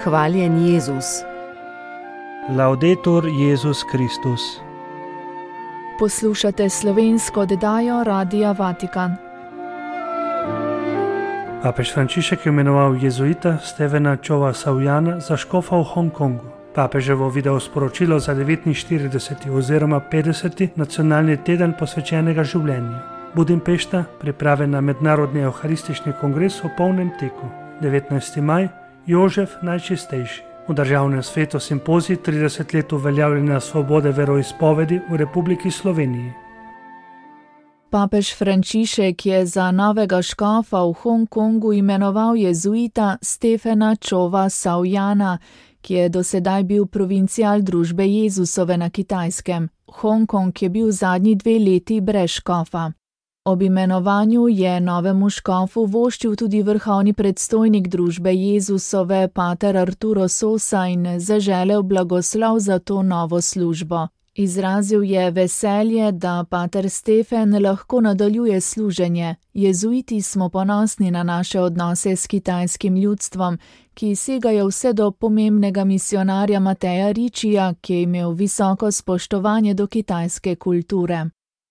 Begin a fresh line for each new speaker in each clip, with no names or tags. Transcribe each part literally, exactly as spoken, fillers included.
Hvaljen Jezus.
Laudetur Jezus Kristus.
Poslušate slovensko oddajo Radia Vatikan.
Papež Frančišek je imenoval jezuita Stevena Chowa Sawyana za škofa v Hongkongu. Papeževo video sporočilo za devetinštirideseti oziroma petdeseti nacionalni teden posvečenega življenja. Budimpešta, priprave na mednarodni evharistični kongres v polnem teku. devetnajsti maj, Jožef najčistejši. V državnem svetu simpozij trideset let uveljavljanja svobode veroizpovedi v Republiki Sloveniji.
Papež Frančišek je za novega škofa v Hongkongu imenoval jezuita Stevena Chowa Sawyana, ki je dosedaj bil provincial družbe Jezusove na Kitajskem. Hongkong je bil zadnji dve leti brez škofa. Ob imenovanju je novemu škofu voščil tudi vrhovni predstojnik družbe Jezusove, pater Arturo Sosa, in zaželel blagoslov za to novo službo. Izrazil je veselje, da pater Stefen lahko nadaljuje služenje. Jezuiti smo ponosni na naše odnose s kitajskim ljudstvom, ki segajo vse do pomembnega misionarja Mateja Ričija, ki je imel visoko spoštovanje do kitajske kulture.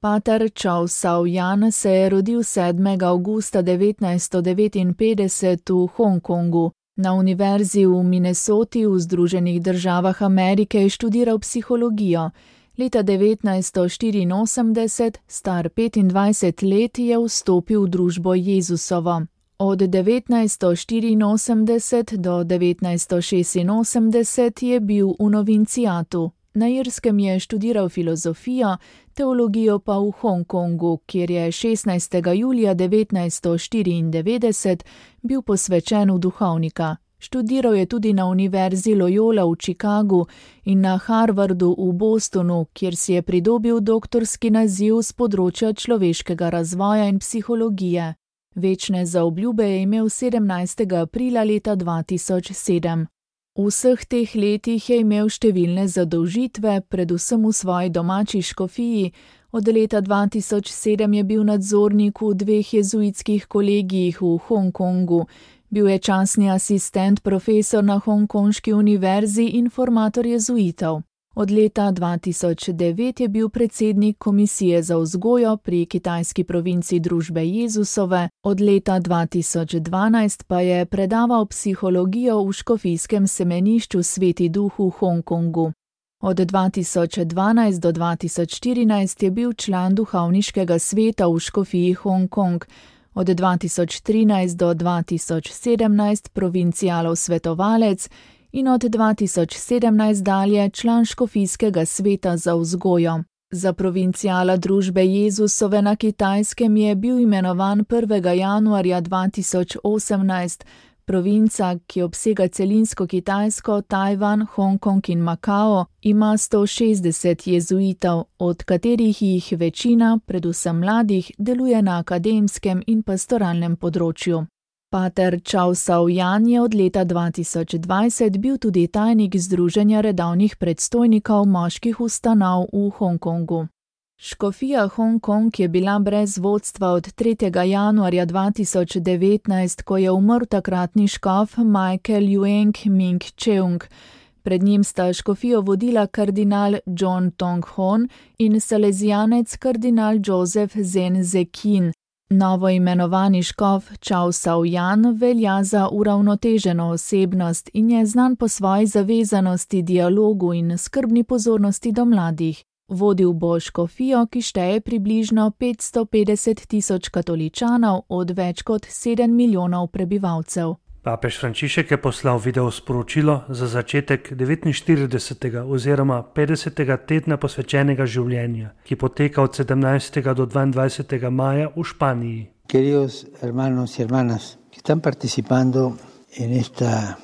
Pater Chow Sawyan se je rodil sedmega avgusta devetnajststo devetinpetdeset v Hongkongu. Na univerzi v Minnesoti v Združenih državah Amerike je študiral psihologijo. Leta devetnajststo štiriinosemdeset, star petindvajset let, je vstopil v družbo Jezusovo. Od devetnajststo štiriinosemdeset do devetnajststo šestinosemdeset je bil v novincijatu. Na Irskem je študiral filozofijo, teologijo pa v Hongkongu, kjer je šestnajstega julija devetnajststo štiriindevetdeset bil posvečen v duhovnika. Študiral je tudi na univerzi Loyola v Chicagu in na Harvardu v Bostonu, kjer si je pridobil doktorski naziv z področja človeškega razvoja in psihologije. Večne zaobljube je imel sedemnajstega aprila leta dva tisoč sedem. V vseh teh letih je imel številne zadolžitve, predvsem v svoji domači škofiji. Od leta dva tisoč sedem je bil nadzornik v dveh jezuitskih kolegijih v Hongkongu. Bil je častni asistent profesor na Hongkonški univerzi in formator jezuitov. Od leta dva tisoč devet je bil predsednik komisije za vzgojo pri kitajski provinci družbe Jezusove, od leta dva tisoč dvanajst pa je predaval psihologijo v škofijskem semenišču Sveti Duh v Hongkongu. Od dva tisoč dvanajst do dva tisoč štirinajst je bil član duhovniškega sveta v škofiji Hongkong, od dva tisoč trinajst do dva tisoč sedemnajst provincialov svetovalec in od dva tisoč sedemnajst dalje član škofijskega sveta za vzgojo. Za provinciala družbe Jezusove na Kitajskem je bil imenovan prvega januarja dva tisoč osemnajst. Provinca, ki obsega celinsko Kitajsko, Tajvan, Hongkong in Makao, ima sto šestdeset jezuitov, od katerih jih večina, predvsem mladih, deluje na akademskem in pastoralnem področju. Pater Chow Sawyan je od leta dva tisoč dvajset bil tudi tajnik Združenja redovnih predstojnikov moških ustanov v Hongkongu. Škofija Hongkong je bila brez vodstva od tretjega januarja dva tisoč devetnajst, ko je umrl takratni škof Michael Yueng Ming Cheung. Pred njim sta škofijo vodila kardinal John Tong Hon in salezijanec kardinal Joseph Zen Zekin. Novo imenovani škof Chow Sawyan velja za uravnoteženo osebnost in je znan po svoji zavezanosti dialogu in skrbni pozornosti do mladih. Vodil bo škofijo, ki šteje približno petsto petdeset tisoč katoličanov od več kot sedem milijonov prebivalcev.
Papež Frančišek je poslal video sporočilo za začetek devetinštiridesetega oziroma petdesetega tedna posvečenega življenja, ki poteka od sedemnajstega do dvaindvajsetega maja v Španiji.
Queridos hermanos y hermanas, que están participando en esta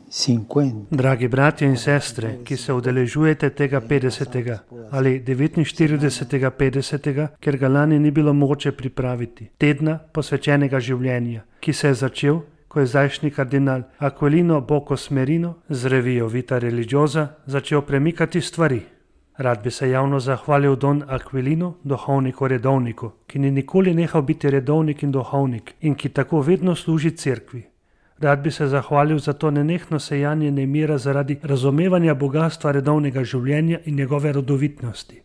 cincuenta.
Dragi bratje in sestre, ki se udeležujete tega petdesetega ali devetinštiridesetega petdesetega, ker ga lani ni bilo mogoče pripraviti, tedna posvečenega življenja, ki se je začel, ko je zdajšnji kardinal Aquilino Bocos Merino z revijo Vita Religiosa začel premikati stvari. Rad bi se javno zahvalil Don Aquilinu, duhovniku redovniku, ki ni nikoli nehal biti redovnik in duhovnik in ki tako vedno služi cerkvi. Rad bi se zahvalil za to nenehno sejanje nemira zaradi razumevanja bogatstva redovnega življenja in njegove rodovitnosti.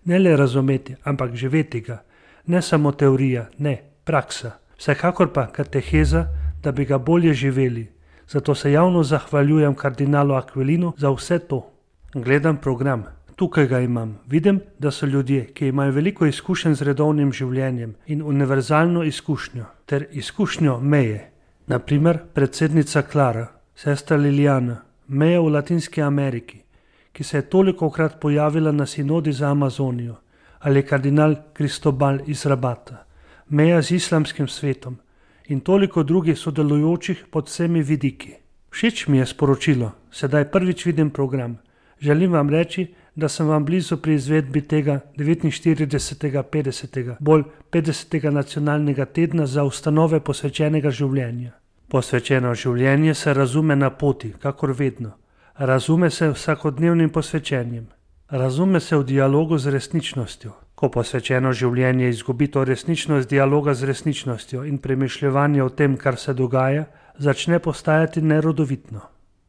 Ne le razumeti, ampak živeti ga. Ne samo teorija, ne, praksa. Vsekakor pa kateheza, da bi ga bolje živeli. Zato se javno zahvaljujem kardinalu Aquilinu za vse to. Gledam program. Tukaj ga imam. Vidim, da so ljudje, ki imajo veliko izkušenj z redovnim življenjem in univerzalno izkušnjo, ter izkušnjo meje. Naprimer, predsednica Klara, sestra Lilijana, meja v Latinski Ameriki, ki se je tolikokrat pojavila na sinodi za Amazonijo, ali kardinal Cristobal iz Rabata, meja z islamskim svetom in toliko drugih sodelujočih pod vsemi vidiki. Všeč mi je sporočilo, sedaj prvič vidim program. Želim vam reči, da sem vam blizu pri izvedbi tega devetinštiridesetega petdesetega, bolj petdesetega nacionalnega tedna za ustanove posvečenega življenja. Posvečeno življenje se razume na poti, kakor vedno. Razume se vsakodnevnim posvečenjem. Razume se v dialogu z resničnostjo. Ko posvečeno življenje izgubi to resničnost dialoga z resničnostjo in premišljevanje o tem, kar se dogaja, začne postajati nerodovitno.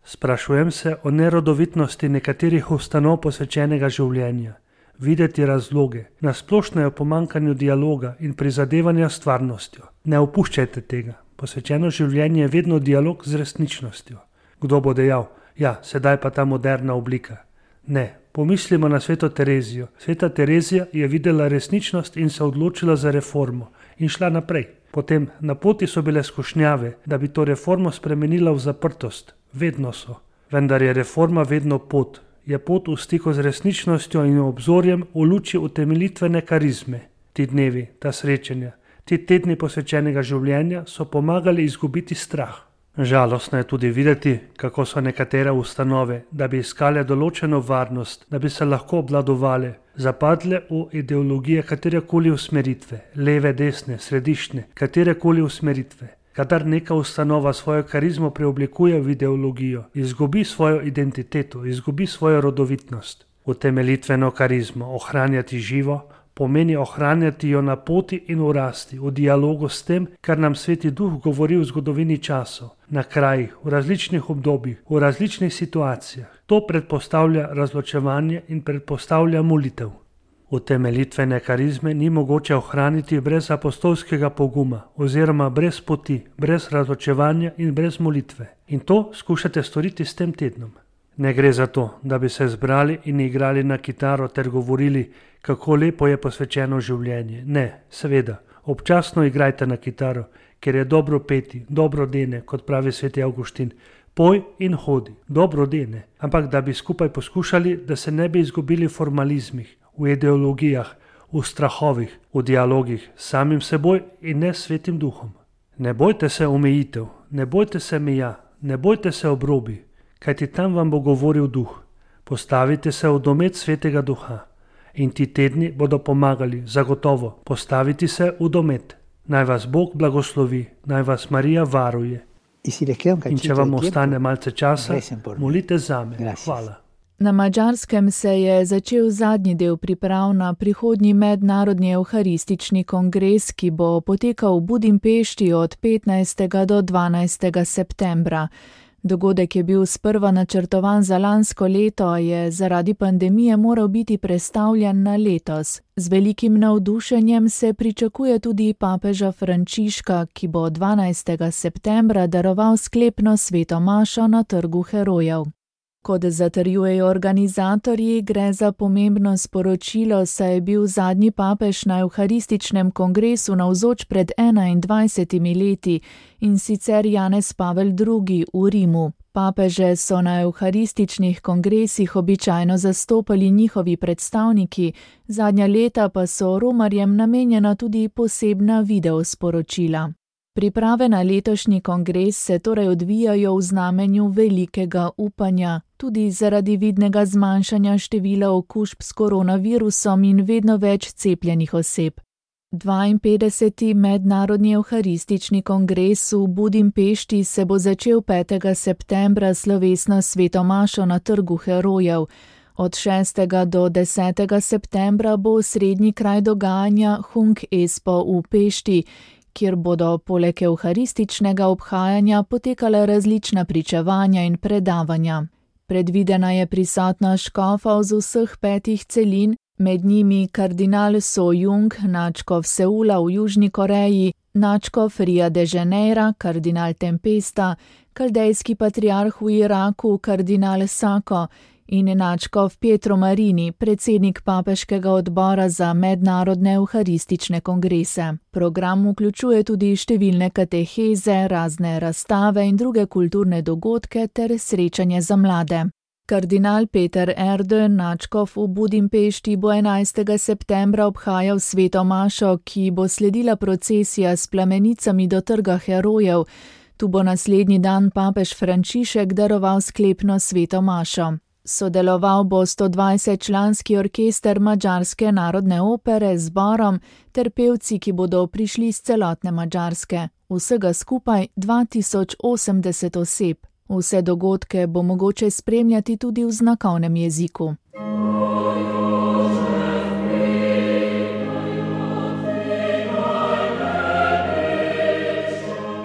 Sprašujem se o nerodovitnosti nekaterih ustanov posvečenega življenja, videti razloge, nasplošno je o pomankanju dialoga in prizadevanja s stvarnostjo. Ne opuščajte tega. Posvečeno življenje je vedno dialog z resničnostjo. Kdo bo dejal, ja, sedaj pa ta moderna oblika. Ne, pomislimo na sveto Terezijo. Sveta Terezija je videla resničnost in se odločila za reformo in šla naprej. Potem na poti so bile skušnjave, da bi to reformo spremenila v zaprtost. Vedno so. Vendar je reforma vedno pot. Je pot v stiku z resničnostjo in obzorjem v luči utemeljitvene karizme. Ti dnevi, ta srečanja, ti tedni posvečenega življenja so pomagali izgubiti strah. Žalostno je tudi videti, kako so nekatere ustanove, da bi iskale določeno varnost, da bi se lahko obvladovale, zapadle v ideologije katerekoli usmeritve, leve, desne, središčne, katerekoli usmeritve. Kadar neka ustanova svojo karizmo preoblikuje v ideologijo, izgubi svojo identiteto, izgubi svojo rodovitnost. Utemeljitveno karizmo, ohranjati živo, pomeni ohranjati jo na poti in v rasti, v dialogu s tem, kar nam Sveti Duh govori v zgodovini časov, na krajih, v različnih obdobjih, v različnih situacijah. To predpostavlja razločevanje in predpostavlja molitev. Utemeljitvene karizme ni mogoče ohraniti brez apostolskega poguma oziroma brez poti, brez razločevanja in brez molitve. In to skušate storiti s tem tednom. Ne gre za to, da bi se zbrali in igrali na kitaro ter govorili, kako lepo je posvečeno življenje. Ne, seveda, občasno igrajte na kitaro, ker je dobro peti, dobro dene, kot pravi sveti Avguštin. Poj in hodi, dobro dene, ampak da bi skupaj poskušali, da se ne bi izgubili v formalizmih, v ideologijah, v strahovih, v dialogih s samim seboj in ne s Svetim Duhom. Ne bojte se omejitev, ne bojte se meja, ne bojte se obrobi, kajti tam vam bo govoril Duh. Postavite se v domet Svetega Duha in ti tedni bodo pomagali, zagotovo, postaviti se v domet. Naj vas Bog blagoslovi, naj vas Marija varuje. In če vam ostane malce časa, molite zame. Hvala.
Na Madžarskem se je začel zadnji del priprav na prihodnji mednarodni evharistični kongres, ki bo potekal v Budimpešti od petnajstega do dvanajstega septembra. Dogodek je bil sprva načrtovan za lansko leto, je zaradi pandemije moral biti prestavljen na letos. Z velikim navdušenjem se pričakuje tudi papeža Frančiška, ki bo dvanajstega septembra daroval sklepno sveto mašo na Trgu herojev. Kot zatrjujejo organizatorji, gre za pomembno sporočilo, saj je bil zadnji papež na evharističnem kongresu navzoč pred enaindvajsetimi leti, in sicer Janez Pavel drugi v Rimu. Papeže so na evharističnih kongresih običajno zastopali njihovi predstavniki, zadnja leta pa so romarjem namenjena tudi posebna videosporočila. Priprave na letošnji kongres se torej odvijajo v znamenju velikega upanja, tudi zaradi vidnega zmanjšanja števila okužb s koronavirusom in vedno več cepljenih oseb. dvainpetdeseti mednarodni evharistični kongres v Budimpešti se bo začel petega septembra slovesno sveto mašo na Trgu herojev. Od šestega do desetega septembra bo srednji kraj dogajanja Hung Espo v Pešti, kjer bodo poleg evharističnega obhajanja potekale različna pričevanja in predavanja. Predvidena je prisotnost škofov z vseh petih celin, med njimi kardinal So Jung, nadškof Seula v Južni Koreji, nadškof Ria de Janeira, kardinal Tempesta, kaldejski patriarh v Iraku, kardinal Sako in nadškof Pietro Marini, predsednik papeškega odbora za mednarodne evharistične kongrese. Program vključuje tudi številne kateheze, razne razstave in druge kulturne dogodke ter srečanje za mlade. Kardinal Peter Erdő, nadškof v Budimpešti, bo enajstega septembra obhajal sveto mašo, ki bo sledila procesija s plamenicami do trga herojev. Tu bo naslednji dan papež Frančišek daroval sklepno sveto mašo. Sodeloval bo sto dvajset članski orkester Madžarske narodne opere z zborom ter pevci, ki bodo prišli z celotne Madžarske. Vsega skupaj dva tisoč osemdeset oseb. Vse dogodke bo mogoče spremljati tudi v znakovnem jeziku.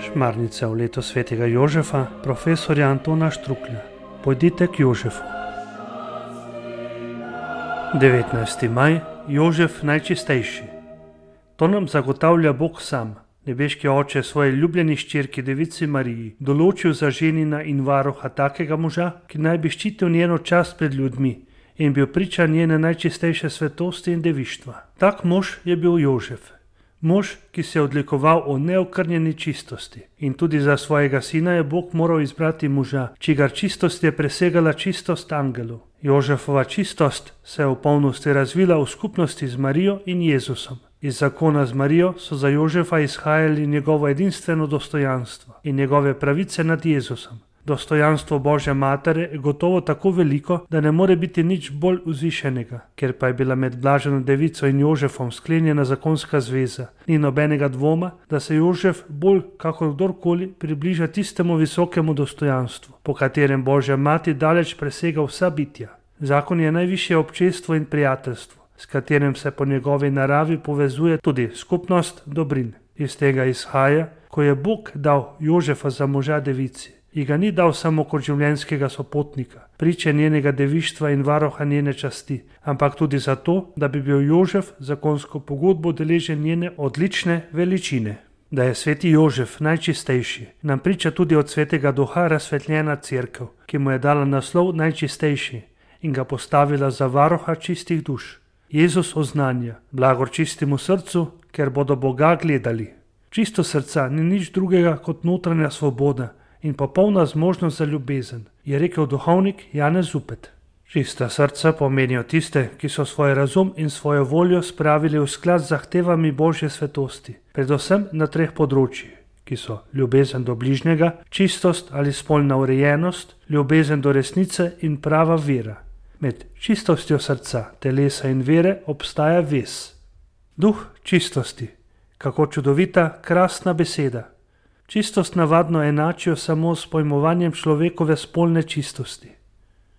Šmarnica v leto svetega Jožefa, profesorja Antona Štruklja. Pojdite k Jožefu. devetnajsti maj, Jožef najčistejši. To nam zagotavlja Bog sam. Nebeški oče svoje ljubljeni hčerki devici Mariji določil za ženina in varuha takega moža, ki naj bi ščitil njeno čast pred ljudmi in bil priča njene najčistejše svetosti in devištva. Tak mož je bil Jožef. Mož, ki se je odlikoval o neokrnjeni čistosti. In tudi za svojega sina je Bog moral izbrati moža, čigar čistost je presegala čistost angelov. Jožefova čistost se je v polnosti razvila v skupnosti z Marijo in Jezusom. Iz zakona z Marijo so za Jožefa izhajali njegovo edinstveno dostojanstvo in njegove pravice nad Jezusom. Dostojanstvo Božje matere je gotovo tako veliko, da ne more biti nič bolj vzvišenega. Ker pa je bila med blaženo devico in Jožefom sklenjena zakonska zveza, ni nobenega dvoma, da se Jožef bolj kakor kdorkoli približa tistemu visokemu dostojanstvu, po katerem Božja mati daleč presega vsa bitja. Zakon je najvišje občestvo in prijateljstvo, s katerim se po njegovi naravi povezuje tudi skupnost dobrin. Iz tega izhaja, ko je Bog dal Jožefa za moža devici, ji ga ni dal samo kot življenjskega sopotnika, priče njenega devištva in varoha njene časti, ampak tudi zato, da bi bil Jožef zakonsko pogodbo deležen njene odlične veličine. Da je sveti Jožef najčistejši, nam priča tudi od svetega duha razsvetljena cerkev, ki mu je dala naslov najčistejši in ga postavila za varoha čistih duš. Jezus oznanja: blagor čistemu srcu, ker bodo Boga gledali. Čisto srca ni nič drugega kot notranja svoboda in popolna zmožnost za ljubezen, je rekel duhovnik Janez Zupet. Čista srca pomenijo tiste, ki so svoj razum in svojo voljo spravili v sklad z zahtevami Božje svetosti, predvsem na treh področjih, ki so ljubezen do bližnjega, čistost ali spolna urejenost, ljubezen do resnice in prava vera. Med čistostjo srca, telesa in vere obstaja vez. Duh čistosti. Kako čudovita, krasna beseda. Čistost navadno enačijo samo s pojmovanjem človekove spolne čistosti.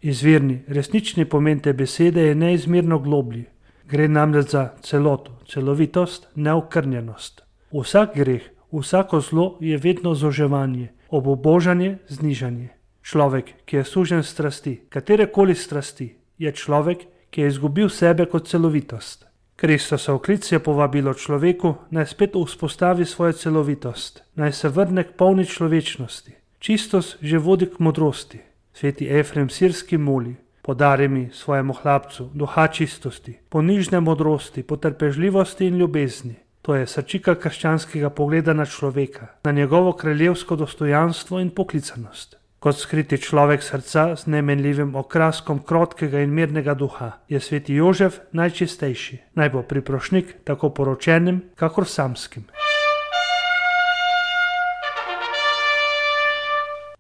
Izvirni, resnični pomen te besede je neizmerno globlji. Gre namreč za celoto, celovitost, neokrnjenost. Vsak greh, vsako zlo je vedno zoževanje, obubožanje, znižanje. Človek, ki je sužen strasti, katerekoli strasti, je človek, ki je izgubil sebe kot celovitost. Kristosov klic je povabilo človeku, naj spet vzpostavi svojo celovitost, naj se vrne k polni človečnosti. Čistost že vodi k modrosti. Sveti Efrem Sirski moli: podari mi svojemu hlapcu duha čistosti, ponižne modrosti, potrpežljivosti in ljubezni. To je srčika krščanskega pogleda na človeka, na njegovo kraljevsko dostojanstvo in poklicanost. Kot skriti človek srca z nemenljivim okraskom krotkega in mirnega duha, je sveti Jožef najčistejši, naj bo priprošnik tako poročenim, kakor samskim.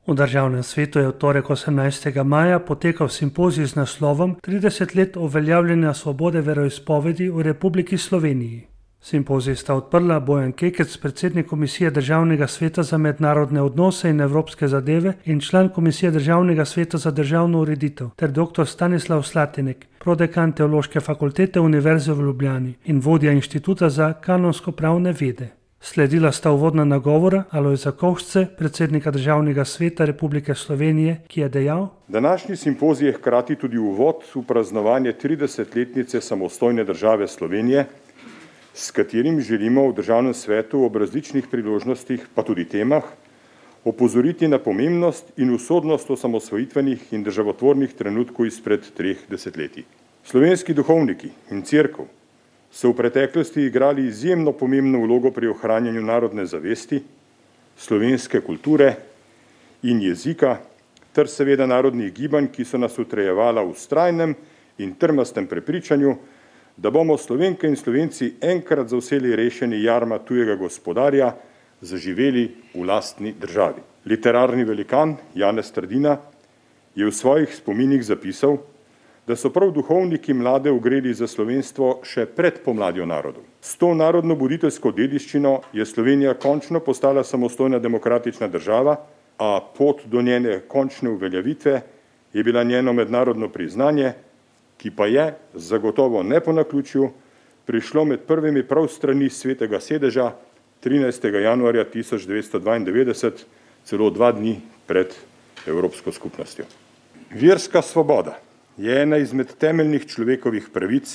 V državnem svetu je v torek osemnajstega maja potekal simpozij z naslovom trideset let uveljavljanja svobode veroizpovedi v Republiki Sloveniji. Simpozij sta odprla Bojan Kekec, predsednik Komisije Državnega sveta za mednarodne odnose in evropske zadeve in član Komisije Državnega sveta za državno ureditev, ter doktor Stanislav Slatinek, prodekan Teološke fakultete Univerze v Ljubljani in vodja Inštituta za kanonsko-pravne vede. Sledila sta uvodna nagovora Alojza Kovšce, predsednika Državnega sveta Republike Slovenije, ki je dejal:
Današnji simpozij je hkrati tudi uvod v praznovanje tridesetletnice samostojne države Slovenije, s katerim želimo v Državnem svetu ob različnih priložnostih, pa tudi temah, opozoriti na pomembnost in usodnost osamosvojitvenih in državotvornih trenutkov izpred treh desetletij. Slovenski duhovniki in cerkev so v preteklosti igrali izjemno pomembno vlogo pri ohranjanju narodne zavesti, slovenske kulture in jezika, ter seveda narodnih gibanj, ki so nas utrajevala v vztrajnem in trmastem prepričanju, da bomo Slovenke in Slovenci enkrat za vselej rešeni jarma tujega gospodarja zaživeli v lastni državi. Literarni velikan Janez Trdina je v svojih spominih zapisal, da so prav duhovniki mlade ugreli za slovenstvo še pred pomladjo narodov. S to narodno-buditeljsko dediščino je Slovenija končno postala samostojna demokratična država, a pot do njene končne uveljavitve je bila njeno mednarodno priznanje, ki pa je, zagotovo ne po naključju, prišlo med prvimi prav strani Svetega sedeža trinajstega januarja tisoč devetsto dvaindevetdeset, celo dva dni pred Evropsko skupnostjo. Verska svoboda je ena izmed temeljnih človekovih pravic,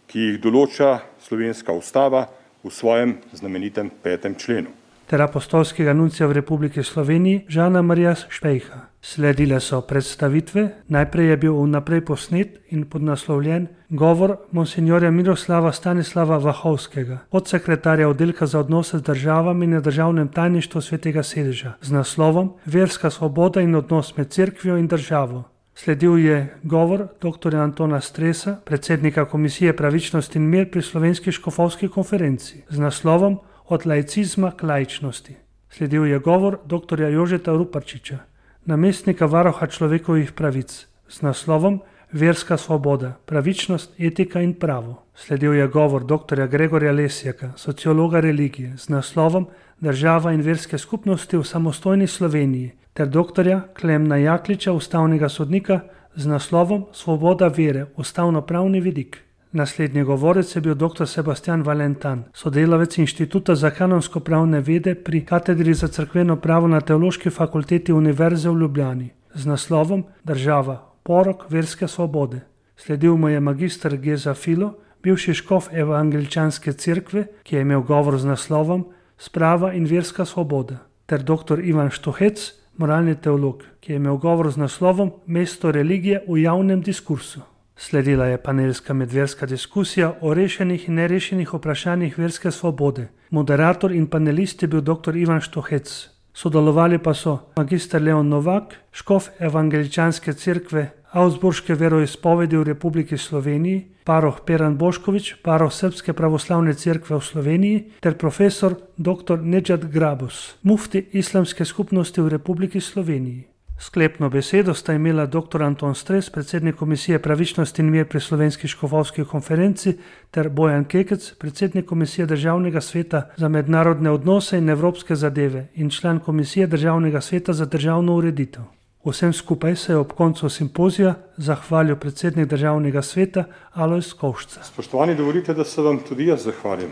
ki jih določa slovenska ustava v svojem znamenitem petem členu.
Ter apostolskega nuncija v Republiki Sloveniji Žana Marija Špejha. Sledile so predstavitve, najprej je bil vnaprej posnet in podnaslovljen govor monsinjorja Miroslava Stanislava Vahovskega, podsekretarja oddelka za odnose z državami na Državnem tajništvu Svetega sedeža, z naslovom Verska svoboda in odnos med cerkvijo in državo. Sledil je govor dr. Antona Stresa, predsednika Komisije pravičnost in mir pri Slovenski škofovski konferenci, z naslovom Od laicizma k laičnosti. Sledil je govor dr. Jožeta Ruparčiča, namestnika varuha človekovih pravic, z naslovom Verska svoboda, pravičnost, etika in pravo. Sledil je govor dr. Gregorja Lesjaka, sociologa religije, z naslovom Država in verske skupnosti v samostojni Sloveniji, ter dr. Klemna Jakliča, ustavnega sodnika, z naslovom Svoboda vere, ustavnopravni vidik. Naslednji govorec je bil dr. Sebastian Valentan, sodelavec Inštituta za kanonsko-pravne vede pri katedri za cerkveno pravo na Teološki fakulteti Univerze v Ljubljani, z naslovom Država, porok verske svobode. Sledil mu je magister Geza Filo, bivši škof evangeličanske cerkve, ki je imel govor z naslovom Sprava in verska svoboda, ter dr. Ivan Štuhec, moralni teolog, ki je imel govor z naslovom Mesto religije v javnem diskursu. Sledila je panelska medverska diskusija o rešenih in nerešenih vprašanjih verske svobode. Moderator in panelist je bil dr. Ivan Štuhec. Sodelovali pa so magister Leon Novak, škof evangeličanske cerkve Augsburške veroizpovedi v Republiki Sloveniji, paroh Peran Bošković, paroh Srpske pravoslavne cerkve v Sloveniji, ter profesor dr. Nedžad Grabus, mufti islamske skupnosti v Republiki Sloveniji. Sklepno besedo sta imela dr. Anton Stres, predsednik Komisije pravičnost in mir pri Slovenski škofovski konferenci, ter Bojan Kekec, predsednik Komisije Državnega sveta za mednarodne odnose in evropske zadeve in član Komisije Državnega sveta za državno ureditev. Vsem skupaj se je ob koncu simpozija zahvalil predsednik Državnega sveta Alojz Kovšca.
Spoštovani, dovolite, da se vam tudi jaz zahvalim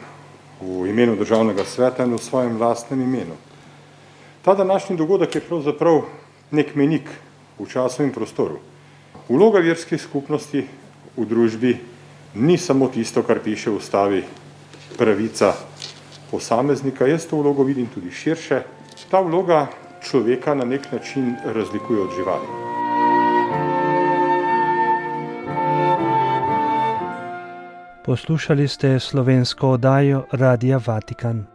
v imenu Državnega sveta in v svojem lastnem imenu. Ta današnji dogodek je pravzaprav nek menik v času in prostoru. Vloga verskih skupnosti v družbi ni samo tisto, kar piše v ustavi, pravica posameznika. Jaz to vlogo vidim tudi širše. Ta vloga človeka na nek način razlikuje od živali.
Poslušali ste slovensko oddajo Radia Vatikan.